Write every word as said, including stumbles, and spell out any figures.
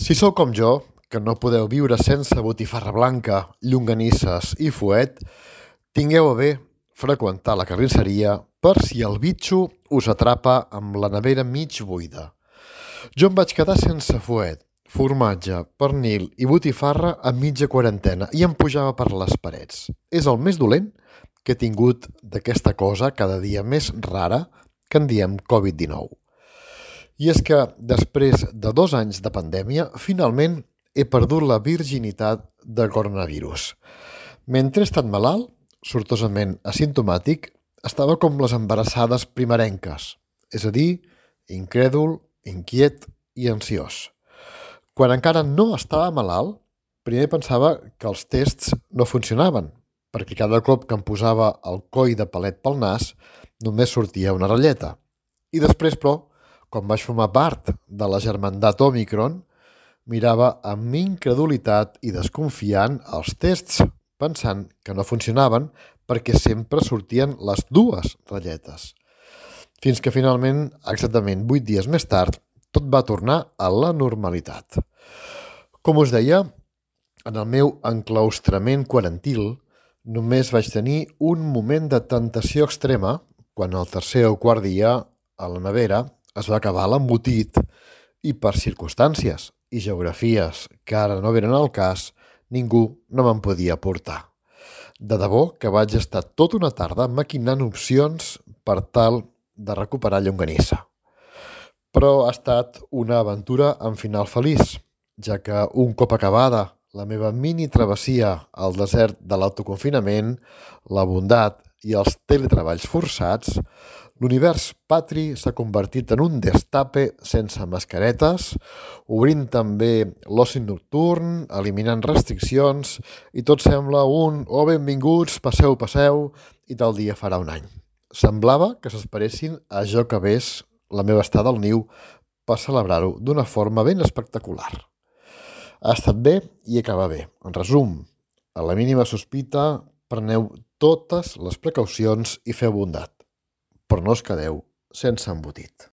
Si sou com jo, que no podeu viure sense botifarra blanca, llonganisses i fuet, tingueu a bé freqüentar la carnisseria per si el bitxo us atrapa amb la nevera mig buida. Jo em vaig quedar sense fuet, formatge, pernil i botifarra a mitja quarantena i em pujava per les parets. És el més dolent que he tingut d'aquesta cosa cada dia més rara que en diem covid dinou. I és que, després de dos anys de pandèmia, finalment he perdut la virginitat de coronavirus. Mentre he estat malalt, sortosament asimptomàtic, estava com les embarassades primerenques, és a dir, incrèdul, inquiet i ansiós. Quan encara no estava malalt, primer pensava que els tests no funcionaven, perquè cada cop que em posava el coll de palet pel nas només sortia una ratlleta. I després, però, quan vaig formar part de la germandat Òmicron, mirava amb incredulitat i desconfiant els tests, pensant que no funcionaven perquè sempre sortien les dues ratlletes. Fins que finalment, exactament vuit dies més tard, tot va tornar a la normalitat. Com us deia, en el meu enclaustrament quarantil només vaig tenir un moment de tentació extrema quan el tercer o quart dia, a la nevera, es va acabar l'embotit i per circumstàncies i geografies que ara no venen al cas, ningú no me'n podia portar. De debò que vaig estar tota una tarda maquinant opcions per tal de recuperar llonganissa. Però ha estat una aventura amb final feliç, ja que un cop acabada la meva mini travessia al desert de l'autoconfinament, la bondat i els teletreballs forçats, l'univers patri s'ha convertit en un destape sense mascaretes, obrint també l'oci nocturn, eliminant restriccions, i tot sembla un «Oh, benvinguts, passeu, passeu», i tal dia farà un any. Semblava que s'esperessin a jo que ves la meva estada al niu per celebrar-ho d'una forma ben espectacular. Ha estat bé i acaba bé. En resum, a la mínima sospita, preneu totes les precaucions i feu bondat, però no us quedeu sense embotit.